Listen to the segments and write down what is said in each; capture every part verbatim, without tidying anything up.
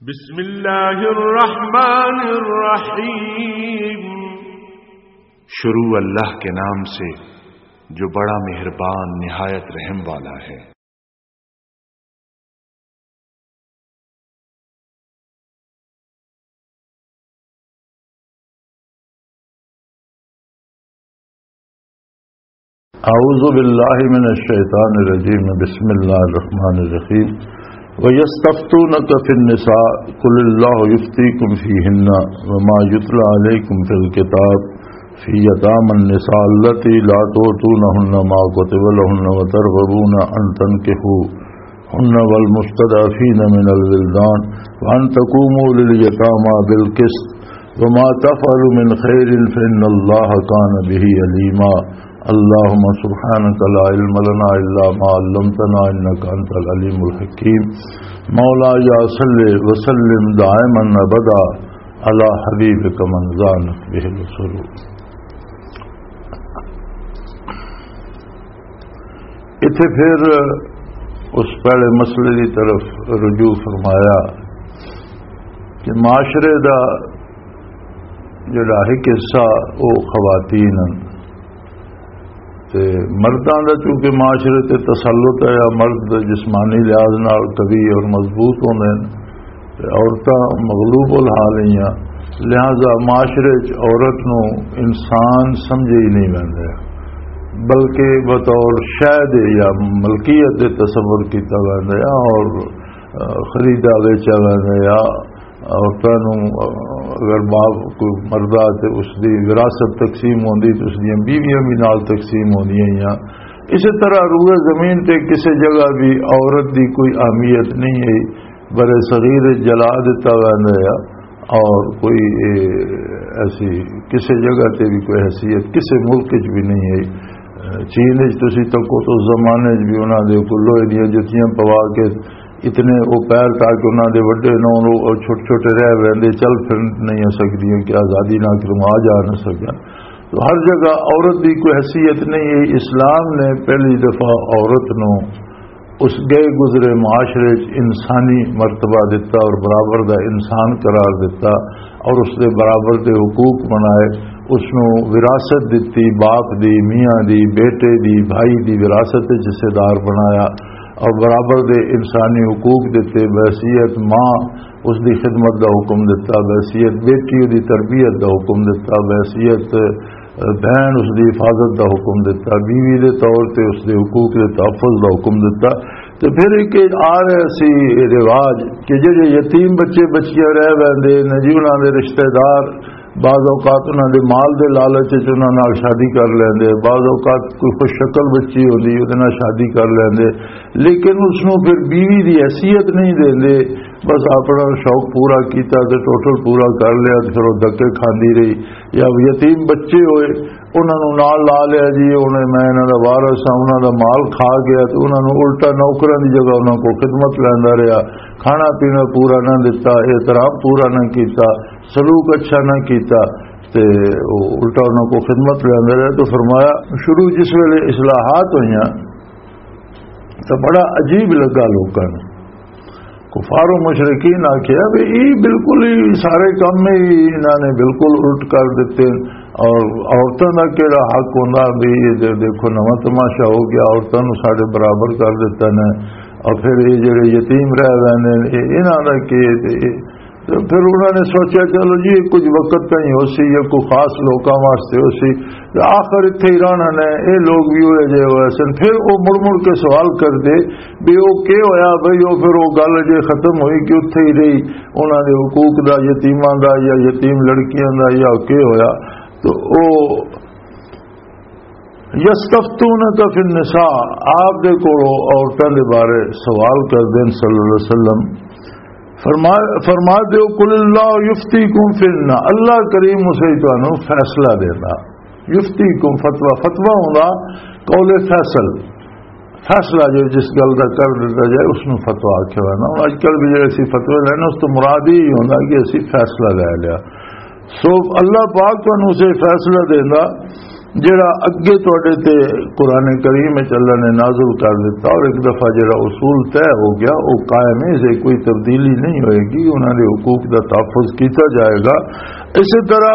بسم اللہ الرحمن الرحیم۔ شروع اللہ کے نام سے، جو بڑا مہربان، نہایت رحم والا ہے۔ اعوذ باللہ من الشیطان الرجیم، بسم اللہ الرحمن الرحیم۔ وَيَسْتَفْتُونَكَ فِي النِّسَاءِ، قُلِ اللَّهُ يُفْتِيكُمْ فِيهِنَّ وَمَا يُتْلَى عَلَيْكُمْ فِي الْكِتَابِ فِي يَتَامَى النِّسَاءِ اللَّاتِي لَا تُؤْتُونَهُنَّ مَا كُتِبَ لَهُنَّ وَتَرْغَبُونَ أَن تَنكِحُوهُنَّ وَالْمُسْتَضْعَفِينَ مِنَ الْوِلْدَانِ وَأَن تَقُومُوا لِلْيَتَامَى بِالْقِسْطِ وَمَا تَفْعَلُوا مِنْ خَيْرٍ فَإِنَّ اللَّهَ كَانَ بِهِ عَلِيمًا۔ اللهم سبحانك لا علم لنا إلا ما علمتنا إنك أنت العليم الحكيم۔ مولاي صل وسلم دائما أبدا على حبيبك من زانت به العصور۔ اتھے پھر اس پہلے مسئلے کی طرف رجوع فرمایا کہ معاشرے دا جڑا ایک حصہ وہ خواتین ہیں، تے مرداں دا چونکہ معاشرے تے تسلط ہے، یا مرد جسمانی لحاظ نال قوی اور مضبوط ہوندے ہیں، تے عورتاں مغلوب الحال ہی ہیں، لہذا معاشرے چ عورت نو انسان سمجھے ہی نہیں ویندا، بلکہ بطور شے دے یا ملکیت دے تصور کیتا ویندا ہے اور، آ، خریدا ویچا ویندا ہے۔ عورتاں نوں، آ، اگر باپ کوئی مردہ تے اس دی وراثت تقسیم ہوندی تے اس دیاں بیویاں بھی نال تقسیم ہوندیاں ہیاں۔ اسی طرح روئے زمین تے کسے جگہ بھی عورت دی کوئی اہمیت نہیں ہے، برے صغیر جلا دتا ویندا ہے اور کوئی، اے، ایسی کسے جگہ تے بھی کوئی حیثیت کسے ملک وچ بھی نہیں ہے۔ چین وچ تسی تکو تو اس زمانے وچ بھی انہاں دے کول لوہے دیاں جتیاں پوا کے اتنے وہ پیر تاکہ انہاں دے وڈے نہ ہون، وہ چھوٹے چھوٹے رہ ویندے، چل پھر نہیں سکدیاں کہ آزادی نہ کروں، آ جا نہ سکن۔ تو ہر جگہ عورت دی کوئی حیثیت نہیں ہے۔ اسلام نے پہلی دفعہ عورت نو اس گئے گزرے معاشرے چ انسانی مرتبہ دتا اور برابر دا انسان قرار دتا اور اس دے برابر دے حقوق بنائے، اس نو وراثت دتی، باپ دی، میاں دی، بیٹے دی، بھائی دی وراثت وچ حصے دار بنایا اور برابر دے انسانی حقوق دتے، بحیثیت ماں اس دی خدمت دا حکم دتا، بحیثیت بیٹی دی تربیت دا حکم دتا، بحیثیت بہن اس دی حفاظت دا حکم دتا، بیوی دے طور تے اس دے حقوق دے تحفظ دا حکم دتا۔ تے پھر ایک آ رہے سی رواج کہ جڑے یتیم بچے بچیاں رہ ویندے نے جی، انہاں دے رشتہ دار بعض اوقات انہاں دے مال دے لالچ وچ انہاں نال شادی کر لیندے، بعض اوقات کوئی خوش شکل بچی ہوندی، اودے نال شادی کر لیندے، لیکن اس نوں پھر بیوی دی حیثیت نہیں دیندے۔ بس اپنا شوق پورا کیتا تے ٹوٹل پورا کر لیا تے پھر وہ دھکے کھاندی رہی۔ یا یتیم بچے ہوئے، انہاں نوں نال لا لیا جی، انہیں میں انہاں دا وارث ہاں، انہاں دا مال کھا گیا تے انہاں نوں الٹا نوکراں دی جگہ انہاں کو خدمت لیندا رہیا، کھانا پینا پورا نہ دتا، احترام پورا نہ کیتا، سلوک اچھا نہ کیتا، تے او الٹا انہاں کو خدمت لیندا رہیا۔ تو فرمایا، شروع جس ویلے اصلاحات ہوئیاں تو بڑا عجیب لگا لوکاں نوں۔ کفار و مشرکین آکھیا بھی یہ بالکل ہی سارے کم ہی انہاں نے بالکل الٹ کر دیتے، اور عورتاں دا کیڑا حق ہوندا بھی؟ یہ دے-، دیکھو، نواں تماشا ہو گیا، عورتاں نوں ساڈے برابر کر دیتا نے، اور پھر یہ جڑے یتیم رہ گئے نے، یہ انہاں دا کی؟ تے پھر انہوں نے سوچا، چلو جی، یہ کچھ وقت تائیں ہو سی یا کوئی خاص لوکاں واسطے ہو سی، تے آخر اتھے ہی رہنا نے، یہ لوگ بھی ہوئے جے ہوئے سن۔ پھر وہ مڑ مڑ کے سوال کر دے بھی وہ کی ہویا بھئی، وہ پھر وہ گل جے ختم ہوئی کہ اتھے ہی رہی، انہاں دے حقوق دا، یتیماں دا یا یتیم لڑکیاں دا یا کی ہویا؟ تو او یستفتونک فی النساء، آپ دے کولوں عورتاں دے بارے سوال کردے نے صلی اللہ علیہ وسلم۔ فرما، فرما دیو، قل اللہ یفتیکم فی النساء، اللہ کریم اسے تانوں فیصلہ دینا۔ یفتیکم فتویٰ، فتویٰ ہوندا قول فیصل، فیصلہ جو جس گل دا کر دیتا جائے اس نوں فتویٰ آکھیا ہوا نا۔ ہن اج کل بھی جڑے اسی فتوے لینے اس تو مراد ہی ہوندا کہ اسی فیصلہ لے لیا۔ سو اللہ پاک تانوں اسے فیصلہ دیندا۔ جڑا اگے تواڈے تے قرآن کریم وچ اللہ نے نازل کر دتا اور ایک دفعہ جڑا اصول طے ہو گیا، وہ قائم ہے، اسے کوئی تبدیلی نہیں ہوئے گی، انہاں دے حقوق دا تحفظ کیتا جائے گا۔ اسی طرح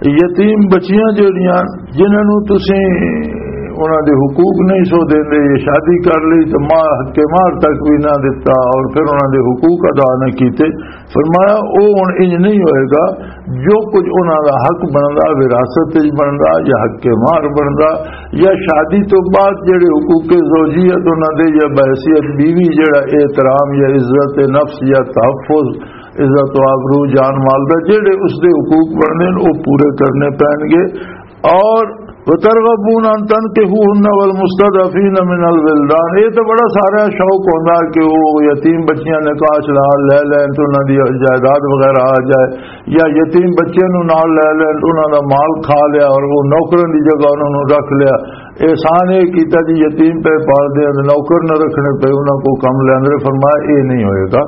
یتیم بچیاں جڑیاں، جنہاں نوں تسی انہاں دے حقوق نہیں سو دیندے، یہ شادی کر لئی تے ماں حق مہر تک بھی نہ دتا اور پھر انہاں دے حقوق ادا نہ کیتے، فرمایا، او ہن انج نہیں ہوئے گا۔ جو کچھ انہاں دا حق بندا، وراثت وچ بندا یا حق مہر بندا، یا شادی تو بعد جڑے حقوق زوجیت انہاں دے، یا بحیثیت بیوی جڑا احترام یا عزت نفس یا تحفظ، عزت و آبرو، جان مال دا جڑے اس دے حقوق بننے، او پورے کرنے پین گے۔ اور وترغبون ان تنکحوهن والمستضعفین من الولدان، یہ تو بڑا سارا شوق ہوندا کہ وہ یتیم بچیاں نکاح چلا لے لین تو انہاں دی جائیداد وغیرہ آ جائے، یا یتیم بچیاں نوں نال لے لین تو انہاں دا مال کھا لیا اور وہ نوکراں دی جگہ انہاں نوں رکھ لیا۔ احسان یہ کیتا جی، یتیم پہ پال دے، نوکر نہ رکھنے پے، انہاں کو کم لیندے۔ فرمایا یہ نہیں ہوئے گا،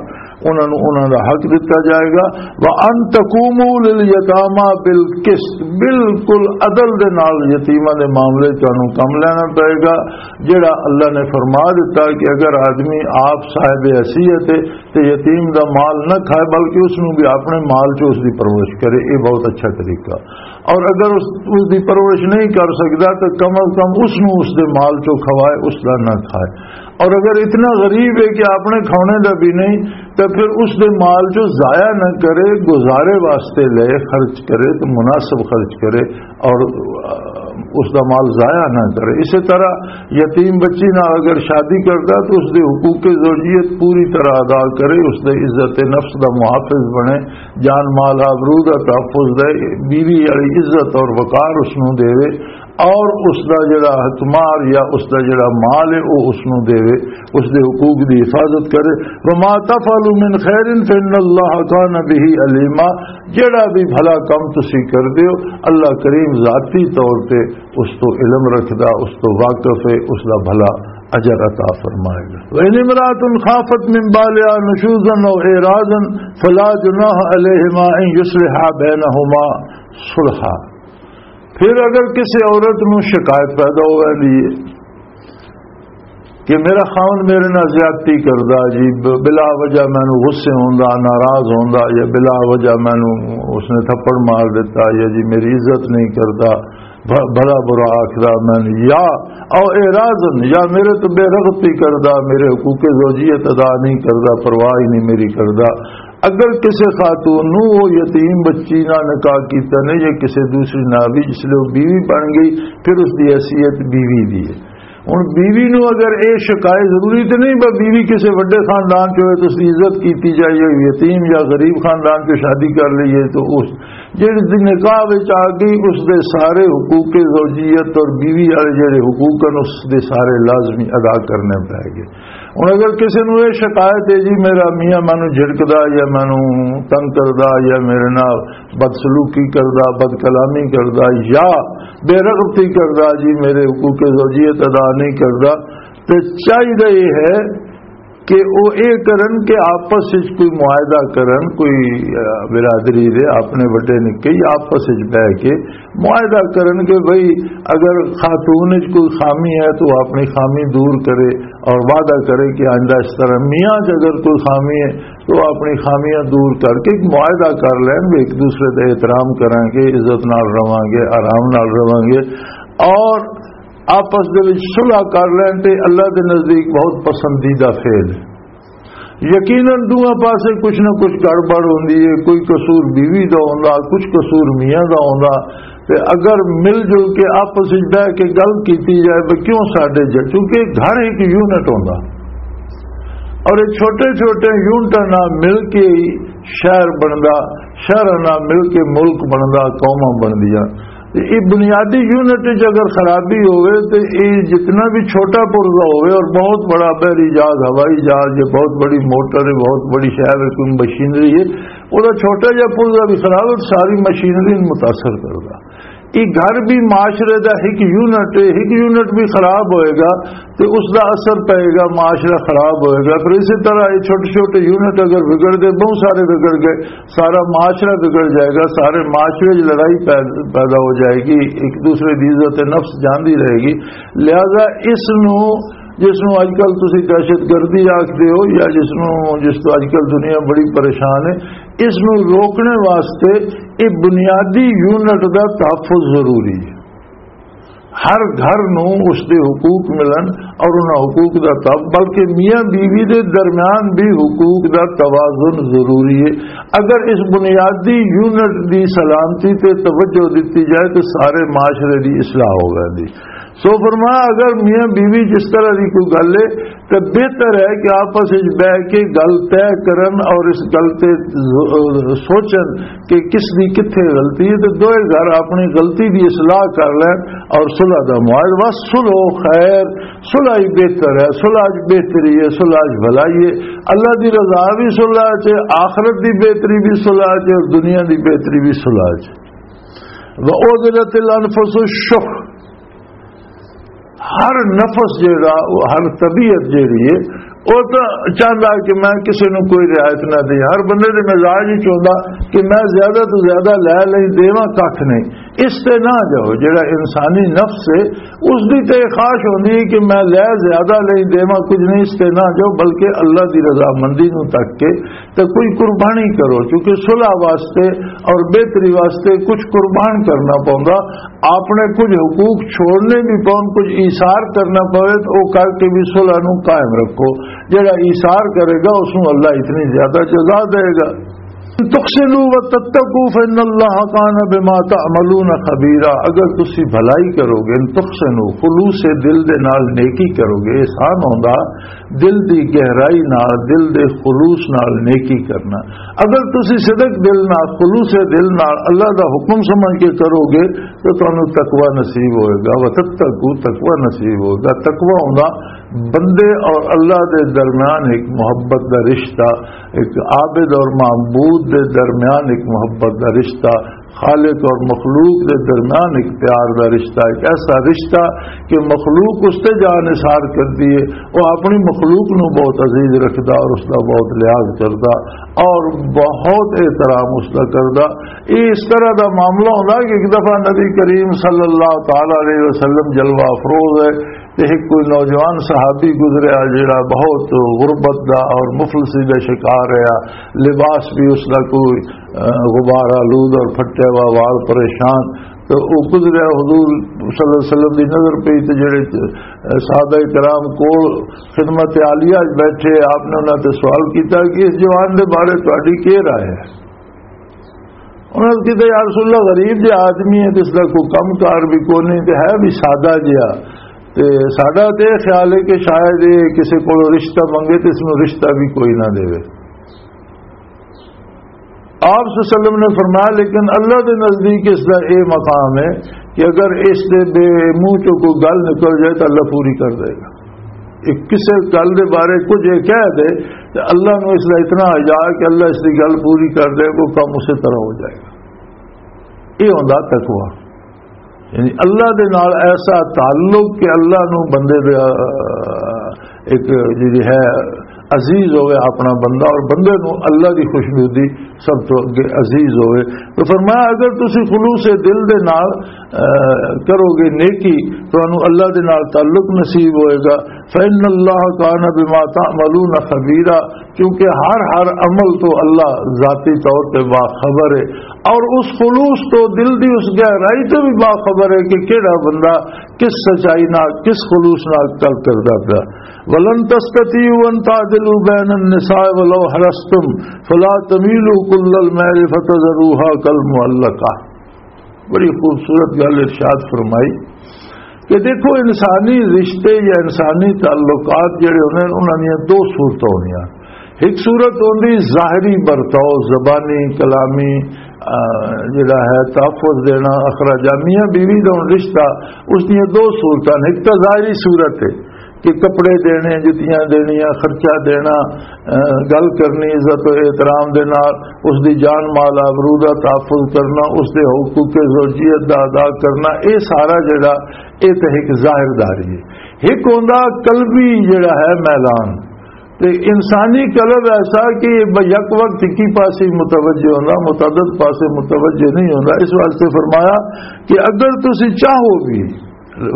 انہاں نوں انہاں دا حق دتا جائے گا۔ وَأَن تَقُومُوا لِلْيَتَامَى بِالْقِسْطِ، بالکل عدل دے نال یتیماں دے معاملے تانوں کم لینا پائے گا۔ جڑا اللہ نے فرما دتا کہ اگر آدمی آپ صاحب حیثیت ہے تے یتیم دا مال نہ کھائے، بلکہ اس نوں بھی اپنے مال چ اس دی پرورش کرے، یہ بہت اچھا طریقہ۔ اور اگر اس، اس دی پرورش نہیں کر سکدا تو کم از کم اس نوں اس دے مال چوں کھوائے، اس دا نہ کھائے۔ اور اگر اتنا غریب ہے کہ اپنے کھانے دا بھی نہیں، تو پھر اس دے مال چوں ضائع نہ کرے، گزارے واسطے لے خرچ کرے تو مناسب خرچ کرے، اور اس دا مال ضائع نہ کرے۔ اسی طرح یتیم بچی نال اگر شادی کردا تو اس دے حقوق زوجیت پوری طرح ادا کرے، اس دے عزت نفس دا محافظ بنے، جان مال آبرو دا تحفظ دے، بیوی والی عزت اور وقار اس نوں دے، اور اس دا جڑا حق مہر یا اس دا جڑا مال ہے، وہ اس نوں دے، اس دے حقوق دی حفاظت کرے۔ وما تفعلوا من خیر فان اللہ کان به علیما، جڑا بھی بھلا کم تسی کر دیو، اللہ کریم ذاتی طور تے اس تو علم رکھدا، اس تو واقف ہے، اس دا بھلا اجر عطا فرمائے گا۔ وان امرأة خافت من بعلها نشوزا او اعراضا فلا جناح علیہما ان یصلحا بینہما صلحا۔ پھر اگر کسی عورت نوں شکایت پیدا ہو ویندی ہے کہ میرا خاوند میرے نال زیادتی کردا جی، ب-، بلا وجہ مینوں غصے ہوندا، ناراض ہوندا، یا بلا وجہ مینوں اس نے تھپڑ مار دیتا، یا جی میری عزت نہیں کردا، بھ-، بھلا برا آکھدا مینوں، یا او اعراضن، یا میرے تو بے رغبتی کردا، میرے حقوق زوجیت ادا نہیں کردا، پرواہ ہی نہیں میری کردا۔ اگر کسی خاتون نو وہ یتیم بچی نہ نکاح کیتا نے یا کسی دوسری نہ بھی، جس لئے وہ بیوی بن گئی، پھر اس دی حیثیت بیوی دی ہے۔ ہن بیوی نو اگر اے شکایت، ضروری تے نہیں بس بیوی کسے وڈے خاندان چ ہوئے تے اس دی عزت کیتی جائے، یا یتیم یا غریب خاندان چ شادی کر لئیے، تو اس جڑی دی نکاح وچ آ گئی، اس دے سارے حقوق زوجیت اور بیوی والے جڑے حقوق ہیں، اس دے سارے لازمی ادا کرنے پے گئے۔ ہن اگر کسے نو یہ شکایت ہے جی میرا میاں مینوں جھڑکدا یا مینوں تنگ کردا یا میرے نال بدسلوکی کردا، بد کلامی کردا یا بے رغبتی کردا، جی میرے حقوق زوجیت ادا نہیں کردا، تے چاہیدا یہ ہے کہ وہ یہ کرن کہ آپس وچ کوئی معاہدہ کرن، کوئی، آ، برادری دے اپنے وڈے نکے ہی آپس وچ بہ کے معاہدہ کرن کہ بھئی اگر خاتون وچ کوئی خامی ہے تو وہ اپنی خامی دور کرے اور وعدہ کرے کہ آئندہ اس طرح میاں چ اگر کوئی خامی ہے تو وہ اپنی خامیاں دور کر کے ایک معاہدہ کر لین، بھی ایک دوسرے دا احترام کریں گے، عزت نال رہواں گے، آرام نال رہواں گے، اور آپس دے وچ صلح کر لین تے اللہ دے نزدیک بہت پسندیدہ فعل ہے۔ یقیناً دوواں پاسے کچھ نہ کچھ گڑبڑ ہوندی ہے، کوئی قصور بیوی دا ہوندا، کچھ قصور میاں دا ہوندا، تے اگر مل جل کے آپس وچ بہ کے گل کیتی جائے تو کیوں ساڈے ج-، کیونکہ گھر ایک یونٹ ہوندا اور یہ چھوٹے چھوٹے یونٹاں نال مل کے ہی شہر بندا، شہراں نال مل کے ملک بندا، قوماں بندیاں۔ تے اے بنیادی یونٹ وچ اگر خرابی ہوئے تے اے جتنا بھی چھوٹا پرزہ ہوئے اور بہت بڑا بحری جہاز، ہوائی جہاز یا بہت بڑی موٹر ہے، بہت بڑی شہر ہے، کوئی مشینری ہے، وہ چھوٹا جہا پرزہ بھی خراب ہے، ساری مشینری نوں متاثر کردا۔ یہ گھر بھی معاشرے دا ایک یونٹ ہے، ایک یونٹ بھی خراب ہوئے گا تو اس دا اثر پئے گا، معاشرہ خراب ہوئے گا۔ پھر اسی طرح یہ چھوٹے چھوٹے یونٹ اگر بگڑ گئے، بہت سارے بگڑ گئے، سارا معاشرہ بگڑ جائے گا، سارے معاشرے 'چ لڑائی پید-، پیدا ہو جائے گی، ایک دوسرے دی عزت نفس جاندی رہے گی۔ لہذا اس نو، جس نو اج کل تسی دہشت گردی آکھدے ہو یا جس نو، جس تو اج کل دنیا بڑی پریشان ہے، اس نو روکنے واسطے یہ بنیادی یونٹ دا تحفظ ضروری ہے۔ ہر گھر نو اس دے حقوق ملن اور انہاں حقوق دا تب، بلکہ میاں بیوی دے درمیان بھی حقوق دا توازن ضروری ہے۔ اگر اس بنیادی یونٹ دی سلامتی تے توجہ دتی جائے تو سارے معاشرے دی اصلاح ہو ویندی۔ سو فرمایا، اگر میاں بیوی جس طرح دی کوئی گل ہے تو بہتر ہے کہ آپس وچ بیٹھ کے گل طے کرن اور اس گل تے ز-، سوچن کہ کس دی کتھے غلطی ہے، تے دوئے گھر اپنی غلطی دی اصلاح کر لین اور صلح دا معاہدہ۔ بس صلح خیر، صلح ہی بہتر ہے، صلح اچ بہتری ہے، صلح اچ بھلائی ہے۔ اللہ دی رضا بھی صلح اچ ہے، آخرت دی بہتری بھی صلح اچ ہے اور دنیا دی بہتری بھی صلح اچ ہے۔ وَأُحْضِرَتِ الْأَنْفُسُ الشُّحَّ، ہر نفس جیڑا، ہر طبیعت جیڑی ہے، وہ تو چاہتا کہ میں کسی نو کوئی رعایت نہ دیں۔ ہر بندے دے مزاج ہی چاہتا کہ میں زیادہ تو زیادہ لے لیں، دیواں کھ نہیں۔ اس تے نہ جاؤ۔ جیڑا انسانی نفس ہے، اس دی تے خواہش ہوندی ہے کہ میں لے زیادہ لیں، دیواں کچھ نہیں، اس تے نہ جاؤ، بلکہ اللہ دی رضامندی نو تک کے تے کوئی قربانی کرو، کیونکہ صلح واسطے اور بہتری واسطے کچھ قربان کرنا پوندا، اپنے کچھ حقوق چھوڑنے بھی پون، کچھ ایثار کرنا پوے تو وہ کر کے بھی صلح نو قائم رکھو۔ جڑا ایثار کرے گا، اس نو اللہ اتنی زیادہ جزا دے گا۔ تحسنوا وتتقوا فإن الله كان بما تعملون خبيرا۔ اگر تسی بھلائی کرو گے، تحسنوا، خلوص دل دے نال نیکی کرو گے، احسان ہوندا دل دی گہرائی نال، دل دے خلوص نال نیکی کرنا۔ اگر تسی صدق دل نال، خلوص دل نال اللہ دا حکم سمجھ کے کرو گے تو تانوں تقوی نصیب ہوئے گا۔ وتتقوا، تقوی نصیب ہوئے گا۔ تقوی ہوندا بندے اور اللہ دے درمیان ایک محبت دا رشتہ، ایک عابد اور معبود دے درمیان ایک محبت دا رشتہ، خالق اور مخلوق دے درمیان ایک پیار دا رشتہ، ایک ایسا رشتہ کہ مخلوق اس تے جان نثار کردی ہے، وہ اپنی مخلوق نو بہت عزیز رکھدا اور اس دا بہت لحاظ کردا، اور بہت احترام اس دا کردا۔ یہ اس طرح دا معاملہ ہوندا کہ ایک دفعہ نبی کریم صلی اللہ تعالی علیہ وسلم جلوہ افروز ہے، تے ایک کوئی نوجوان صحابی گزریا جڑا بہت غربت دا اور مفلسی دا شکار رہا، لباس بھی اس دا کوئی، اہ، غبار آلود اور پھٹیا ہوا، وال پریشان۔ تو وہ گزریا، حضور صلی اللہ علیہ وسلم دی نظر پئی تے جڑے، اہ، صحابہ کرام کول خدمت عالیہ وچ بیٹھے، آپ نے انہاں تے سوال کیتا کہ اس جوان دے بارے تہاڈی کی رائے ہے؟ انہاں نے کہا، "یا رسول اللہ، غریب جہا آدمی ہے، تے اس دا کوئی کم کار بھی کوئی نہیں، تے ہے بھی سادہ جہا۔ تے ساڈا تے یہ خیال ہے کہ شاید یہ کسی کولوں رشتہ منگے، تے اس نوں رشتہ بھی کوئی نہ دے۔" آپ صلی اللہ علیہ وسلم نے فرمایا، "لیکن اللہ دے نزدیک اس دا یہ مقام ہے کہ اگر اس دے بے منہ چوں کوئی گل نکل جائے، تو اللہ پوری کر دے گا۔" ایک کسے گل دے بارے کچھ یہ کہہ دے، تے اللہ نو اس دا اتنا حیا کہ اللہ اس دی گل پوری کر دے، وہ کم اسی طرح ہو جائے گا۔ یہ ہوندا تقوی، یعنی اللہ دے نال ایسا تعلق کہ اللہ نو بندے دے، آ، ایک جڑی ہے عزیز ہوئے اپنا بندہ، اور بندے نو اللہ دی خوشنودی سب تو اگے عزیز ہوئے۔ تو فرمایا، اگر تسی خلوص دل دے نال، آ، کرو گے نیکی، تانوں اللہ دے نال تعلق نصیب ہوئے گا۔ فإن الله كان بما تعملون خبيرا، کیونکہ ہر، ہر عمل تو اللہ ذاتی طور تے باخبر ہے، اور اس خلوص تو، دل دی اس گہرائی تو بھی باخبر ہے کہ کیڑا بندہ کس سچائی نال، کس خلوص نال گل کردا پیا۔ ولن تستطيعوا أن تعدلوا بين النساء ولو حرصتم فلا تميلوا كل الميل فتذروها كالمعلقة۔ بڑی خوبصورت گل ارشاد فرمائی کہ دیکھو، انسانی رشتے یا انسانی تعلقات جڑے ہوندے نے، انہاں دیاں دو صورتاں ہوندیاں۔ ایک صورت ہوندی ظاہری برتاؤ، زبانی، کلامی، آ، جڑا ہے تحفظ دینا، اخراجات، میاں بیوی دا ہن رشتہ، اس دیاں دو صورتاں نے۔ ایک تاں ظاہری صورت ہے کہ کپڑے دینے، جتیاں دینیاں، خرچہ دینا، اہ، گل کرنی عزت و احترام دے نال، اس دی جان مال آبرو دا تحفظ کرنا، اس دے حقوق زوجیت دا ادا کرنا، اے سارا جڑا، اے تے ایک ظاہر داری ہے۔ ایک ہوندا قلبی جڑا ہے میلان، تے انسانی قلب ایسا کہ ب-، یک وقت کی پاسے متوجہ ہوندا، متعدد پاسے متوجہ نہیں ہوندا۔ اس واسطے فرمایا کہ اگر تسی چاہو بھی،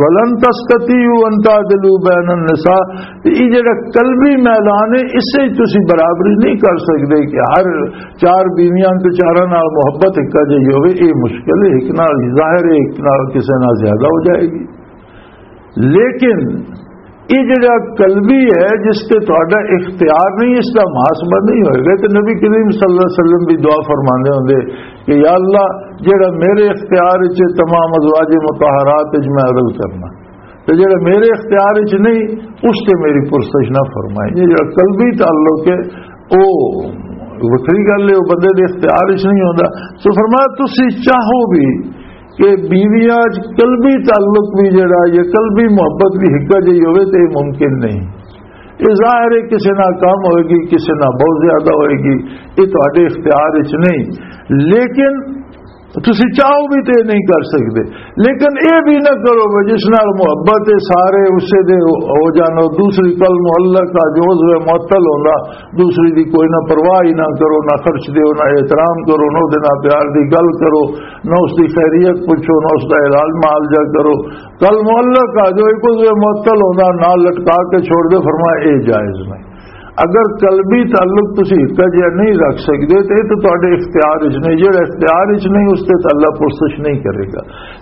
ولن تستطيعوا ان تعدلوا بين النساء، تے یہ جڑا قلبی میلان ہے، اس سے تسی برابری نہیں کر سکتے کہ ہر چار بیویاں تے چاراں نال محبت ایک جہی ہوے۔ یہ مشکل ہے، ایک نال ظاہر ہے، ایک نال کسے نال زیادہ ہو جائے گی۔ لیکن یہ جڑا قلبی ہے، جس تے تہاڈا اختیار نہیں، اس دا محاسبہ نہیں ہوئے گا۔ تے نبی کریم صلی اللہ علیہ وسلم بھی دعا فرماندے ہوندے کہ یا اللہ، جڑا میرے اختیار وچ ہے، تمام ازواج مطہرات وچ میں عدل کرنا، تے جڑا میرے اختیار وچ نہیں، اس تے میری پرسش نہ فرمائیں۔ یہ جڑا قلبی تعلق ہے، او وکری گل ہے، او بندے دے اختیار وچ نہیں ہوندا۔ سو فرمایا، تسی چاہو بھی کہ بیویاں وچ قلبی تعلق بھی جڑا، یہ قلبی محبت بھی ہکا جہی ہوئے، تے یہ ممکن نہیں۔ یہ ظاہر ہے، کسے نال کم ہوئے گی، کسے نال بہت زیادہ ہوئے گی، یہ تہاڈے اختیار وچ نہیں۔ لیکن تسی چاہو بھی تے نہیں کر سکتے۔ لیکن یہ بھی نہ کرو کہ جس نال محبت ہے، سارے اسے دے ہو جان، اور دوسری کل معلق آ جو عضو معطل ہوندا، دوسری دی کوئی نہ پرواہ ہی نہ کرو، نہ خرچ دیو، نہ احترام کرو، نہ دے نال پیار دی گل کرو، نہ اس دی خیریت پوچھو، نہ اس دا علاج معالجہ کرو۔ کل معلق آ جو ایک عضو معطل ہوندا، نال لٹکا کے چھوڑ دے، فرمایا اے جائز نہیں۔ اگر قلبی تعلق تسی ہکا جہا نہیں رکھ سکتے، تو یہ تو تہاڈے اختیار وچ نہیں۔ جڑا اختیار وچ نہیں، اس تے تو اللہ پرسش نہیں کرے گا۔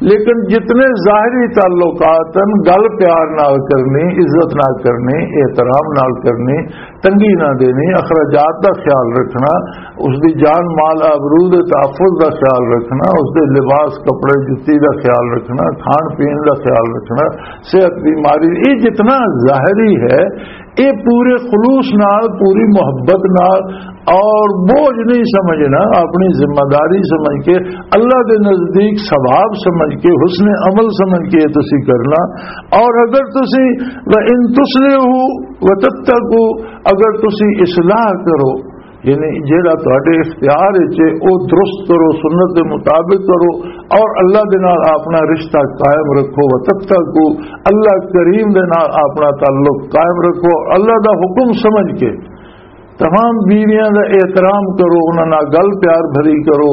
لیکن جتنے ظاہری تعلقات ہیں، گل پیار نال کرنی، عزت نال کرنی، احترام نال کرنی، تنگی نہ دینی، اخراجات دا خیال رکھنا، اس دی جان مال آبرو دے تحفظ دا خیال رکھنا، اس دے لباس، کپڑے، جتی دا خیال رکھنا، کھان پین دا خیال رکھنا، صحت، بیماری، یہ جتنا ظاہری ہے، یہ پورے خلوص نال، پوری محبت نال اور بوجھ نہیں سمجھنا، اپنی ذمہ داری سمجھ کے، اللہ دے نزدیک ثواب سمجھ کے، حسن عمل سمجھ کے تسی کرنا۔ اور اگر تسی، وَإِن تُصْلِحُوا وَتَتَّقُوا، اگر تسی اصلاح کرو، یعنی جیڑا تہاڈے اختیار وچ ہے، او درست کرو، سنت دے مطابق کرو، اور اللہ دے نال اپنا رشتہ قائم رکھو، وَتَتَّقُوا، اللہ کریم دے نال اپنا تعلق قائم رکھو، اللہ دا حکم سمجھ کے تمام بیویاں دا احترام کرو، انہاں نال گل پیار بھری کرو،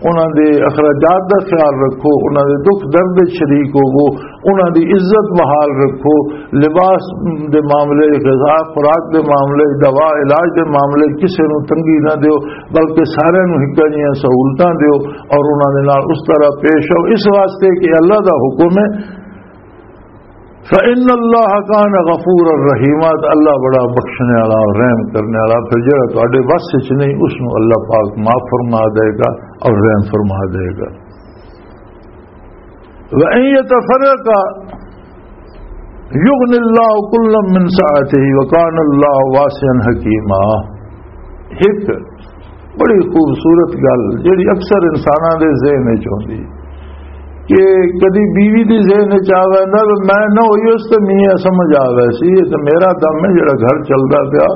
انہاں دے اخراجات دا خیال رکھو، انہاں دے دکھ درد وچ شریک ہوو، انہاں دی عزت بحال رکھو، لباس دے معاملے، غذا خوراک دے معاملے، دوا علاج دے معاملے کسے نوں تنگی نہ دیو، بلکہ سارے نوں ہکا جیاں سہولتاں دیو اور انہاں دے نال اس طرح پیش ہو۔ اس واسطے کہ اللہ دا حکم ہے، فَإِنَّ اللَّهَ كَانَ غَفُورًا رَحِيمًا، تو اللہ بڑا بخشنے والا اور رحم کرنے والا۔ پھر جڑا تہاڈے وس وچ نہیں، اس نوں اللہ پاک معاف فرما دے گا اور رحم فرما دے گا۔ وَإِن يَتَفَرَّقَا يُغْنِ اللَّهُ كُلًّا مِّن سَعَتِهِ وَكَانَ اللَّهُ وَاسِعًا حَكِيمًا۔ ایک بڑی خوبصورت گل جڑی اکثر انساناں دے ذہن وچ ہوندی کہ کدی بیوی دے ذہن وچ آ ویندا کہ میں نہ ہوئی اس تے میاں سمجھ آ ویسی، یہ تے میرا دم ہے جڑا گھر چلدا پیا،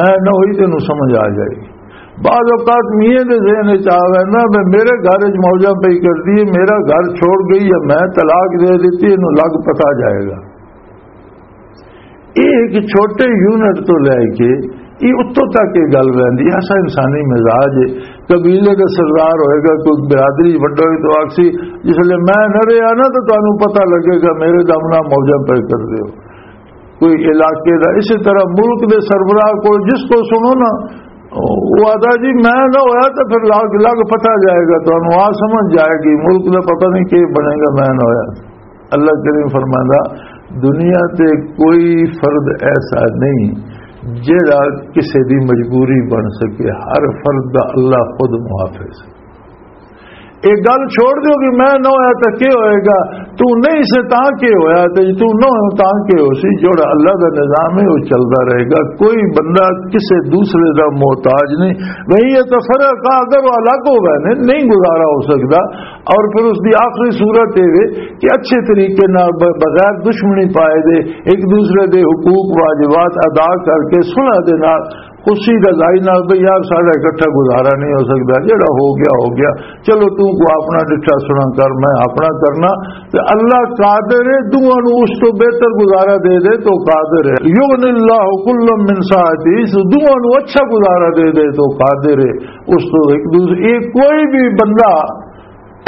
میں نہ ہوئی تینوں سمجھ آ جائے گی۔ بعض اوقات میاں دے ذہن وچ آ ویندا، میں میرے گھر وچ موجاں پئی کردی ہے، میرا گھر چھوڑ گئی یا میں طلاق دے دتی، اینوں لگ پتا جائے گا۔ یہ ایک چھوٹے یونٹ تو لے کے یہ اتوں تک یہ گل رہندی ہے۔ ایسا انسانی مزاج ہے۔ قبیلے دا سردار ہوئے گا، کوئی برادری وڈا ہوئے تو آکسی، جس لئے میں نہ رہا نا تو تانوں پتہ لگے گا، میرے دم نہ موجاں پہ کر دیو۔ کوئی علاقے دا، اسی طرح ملک دے سربراہ کو جس کو سنو نا، وہ آتا جی میں نہ ہویا تو پھر لگ، لگ پتہ جائے گا، تانوں آ سمجھ جائے گی، ملک دا پتہ نہیں کہ بنے گا، میں نہ ہویا۔ اللہ کریم فرماندا، دنیا تے کوئی فرد ایسا نہیں جڑا کسے دی مجبوری بن سکے، ہر فرد دا اللہ خود محافظ۔ یہ گل چھوڑ دیو کہ میں نہ ہویا تو کی ہوئے گا، تو نہیں سے تاں کی ہویا، تے تو نہ ہویا تاں کی ہو سی۔ جوڑا اللہ دا نظام ہے، وہ چلدا رہے گا۔ کوئی بندہ کسے دوسرے دا محتاج نہیں۔ وہی یہ تفرقہ، اگر وہ الگ ہو گئے نے، نہیں گزارا ہو سکدا۔ اور پھر اس دی آخری صورت یہ ہے کہ اچھے طریقے نال، ب-، بغیر دشمنی پائے دے، ایک دوسرے دے حقوق واجبات ادا کر کے صلح دے نال، خوشی رضائی نال، بھئی یار، ساڈا اکٹھا گزارا نہیں ہو سکدا، جڑا ہو گیا ہو گیا، چلو تو کو اپنا ڈٹھا سنا کر، میں اپنا کرنا۔ تے اللہ قادر ہے دوواں نو اس تو بہتر گزارا دے دے، تو قادر ہے۔ یغنی اللہ کلا من سعتی، سو دوواں نو اچھا گزارا دے دے، تو قادر ہے اس تو ایک دوسرے، یہ کوئی بھی بندہ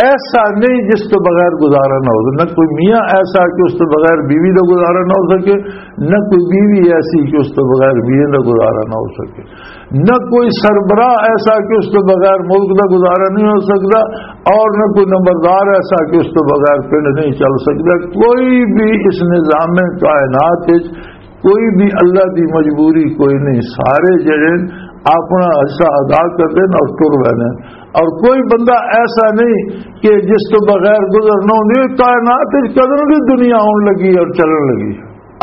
ایسا نہیں جس تو بغیر گزارا نہ ہو سکے۔ نہ کوئی میاں ایسا کہ اس تو بغیر بیوی کا گزارا نہ ہو سکے، نہ کوئی بیوی ایسی کہ اس تو بغیر میاں کا گزارا نہ ہو سکے، نہ کوئی سربراہ ایسا کہ اس تو بغیر ملک کا گزارا نہیں ہو سکتا، اور نہ کوئی نمبردار ایسا کہ اس تو بغیر پنڈ نہیں چل سکتا۔ کوئی بھی اس نظام کائنات وچ کوئی بھی اللہ دی مجبوری کوئی نہیں۔ سارے جڑے اپنا حصہ ادا کردے نے اور ٹر ویندے نے۔ اور کوئی بندہ ایسا نہیں کہ جس تو بغیر گزر نہ ہوندی۔ کائنات وچ کدوں دی دنیا آن لگی اور چلن لگی۔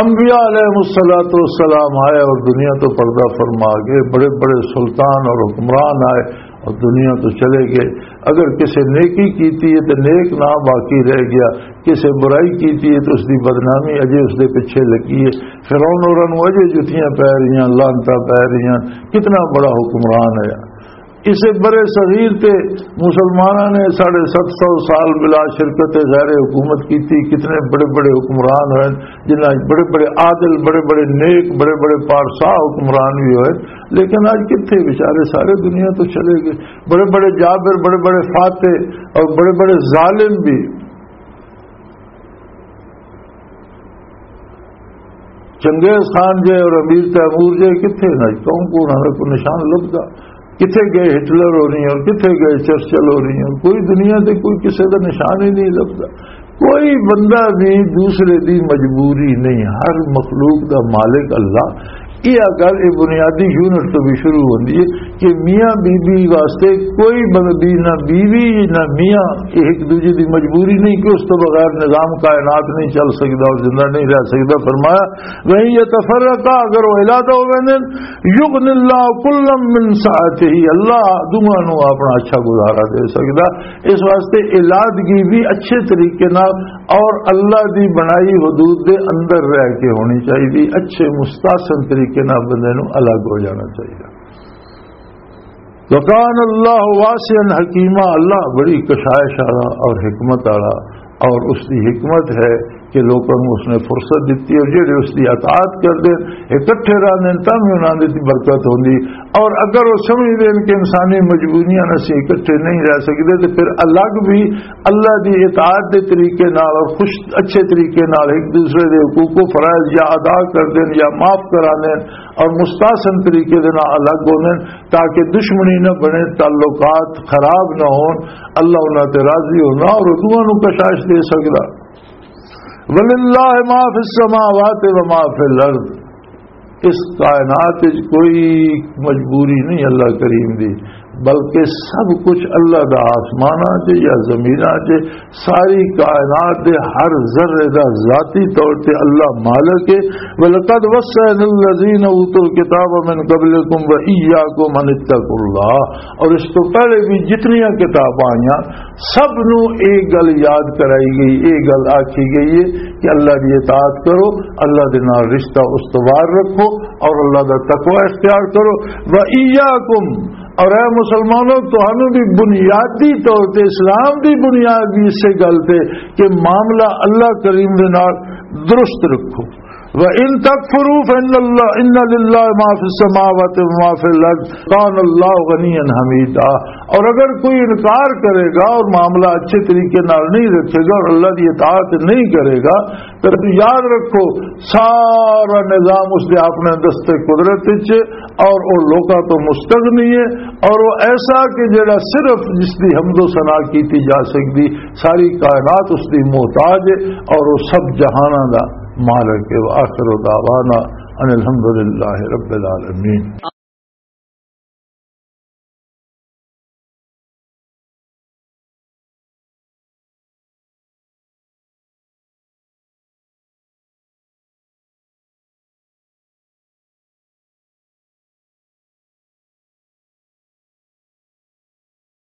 انبیاء علیہ الصلوۃ والسلام آئے اور دنیا تو پردہ فرما گئے، بڑے بڑے سلطان اور حکمران آئے اور دنیا تو چلے گئے۔ اگر کسی نیکی کیتی ہے تو نیک نام باقی رہ گیا، کسی برائی کیتی ہے تو اس دی بدنامی اجے اس دے پیچھے لگی ہے۔ فرعون ہوراں نوں اجے جتیاں پے رہیاں، لعنتاں پے رہیاں، کتنا بڑا حکمران ہے۔ اسے برے صغیر تے مسلماناں نے ساڑھے ست سو سال بلا شرکت غیر حکومت کیتی، کتنے بڑے بڑے حکمران ہوئے، جنہاں وچ بڑے بڑے عادل، بڑے بڑے نیک، بڑے بڑے پارسا حکمران بھی ہوئے، لیکن اج کتھے بیچارے سارے دنیا تو چلے گئے۔ بڑے بڑے جابر، بڑے بڑے فاتح اور بڑے بڑے ظالم بھی۔ چنگیز خان جے اور امیر تیمور جے کتھے نے؟ کون کون ہے؟ کوئی نشان لبدا؟ کتھے گئے ہٹلر ہو رہی ہیں اور کتھے گئے چرچل ہو رہی ہیں؟ کوئی دنیا تے کوئی کسے دا نشان ہی نہیں لبدا۔ کوئی بندہ بھی دوسرے دی مجبوری نہیں، ہر مخلوق دا مالک اللہ۔ یہ گل، یہ بنیادی یونٹ تو بھی شروع ہوندی ہے کہ میاں بی بی واسطے کوئی بن-، بی-، نہ بیوی نہ میاں، یہ ایک دوجے دی مجبوری نہیں کہ اس تو بغیر نظام کائنات نہیں چل سکدا اور زندہ نہیں رہ سکدا۔ فرمایا، وَإِن يَتَفَرَّقَا، اگر وہ علیحدہ ہو ویندے، يُغْنِ اللَّهُ كُلًّا مِّن سَعَتِهِ، اللہ دوواں نوں اپنا اچھا گزارا دے سکدا۔ اس واسطے علیحدگی بھی اچھے طریقے نال اور اللہ دی بنائی حدود دے اندر رہ کے ہونی چاہیے، اچھے مستحسن طریقے نال بندے نوں الگ ہو جانا چاہیے۔ وَكَانَ اللَّهُ وَاسِعًا حَكِيمًا، اللہ بڑی کشائش والا اور حکمت والا، اور اس دی حکمت ہے کہ لوکاں نوں اس نے فرصت دتی اور جڑے اس دی اطاعت کردے اکٹھے رہندے نے، تاں وی انہاں دی برکت ہوندی۔ اور اگر وہ سمجھدے نے کہ انسانی مجبوریاں نال اسی اکٹھے نہیں رہ سکدے، تے پھر الگ بھی اللہ دی اطاعت دے طریقے نال اور خوش، اچھے طریقے نال ایک دوسرے دے حقوق و فرائض یا ادا کردے نے یا معاف کراندے نے اور مستحسن طریقے دے نال الگ ہوندے نے، تاکہ دشمنی نہ بنے، تعلقات خراب نہ ہون، اللہ انہاں تے راضی ہونا اور دوواں نوں کشائش دے سکدا۔ وَلِلَّهِ مَا فِي السَّمَاوَاتِ وَمَا فِي الْأَرْضِ، اس کائنات وچ کوئی مجبوری نہیں اللہ کریم دی، بلکہ سب کچھ اللہ دا، آسماناں چ یا زمیناں چ، ساری کائنات دے ہر ذرے دا ذاتی طور تے اللہ مالک ہے۔ وَلَقَدْ وَصَّيْنَا الَّذِينَ أُوتُوا الْكِتَابَ مِنْ قَبْلِكُمْ وَإِيَّاكُمْ أَنِ اتَّقُوا اللَّهَ، اور اس تو پہلے بھی جتنیاں کتاباں آئیاں، سب نو ایک گل یاد کرائی گئی، ایک گل آکھی گئی ہے کہ اللہ دی اطاعت کرو، اللہ دے نال رشتہ استوار رکھو اور اللہ دا تقوی اختیار کرو۔ وَإِيَّاكُمْ، اور اے مسلمانوں، تہانوں بھی بنیادی طور تے، اسلام دی بنیاد بھی اسے گل تے کہ معاملہ اللہ کریم دے نال درست رکھو۔ وَإِن تَكْفُرُوا فَإِنَّ اللَّهَ، إِنَّ لِلَّهِ مَا فِي السَّمَاوَاتِ وَمَا فِي الْأَرْضِ، كَانَ اللَّهُ غَنِيًّا حَمِيدًا۔ اور اگر کوئی انکار کرے گا اور معاملہ اچھے طریقے نال نہیں رکھے گا اور اللہ کی اطاعت نہیں کرے گا، تو یاد رکھو، سارا نظام اس دے اپنے دستے قدرت وچ، اور وہ لوکاں تو مستغنی ہے، اور وہ ایسا کہ جڑا صرف جس دی حمد و ثنا کیتی جا سکدی، ساری کائنات اس دی محتاج ہے، اور وہ سب جہاناں دا مالک ہے۔ وآخر دعوانا ان الحمد للہ رب العالمین۔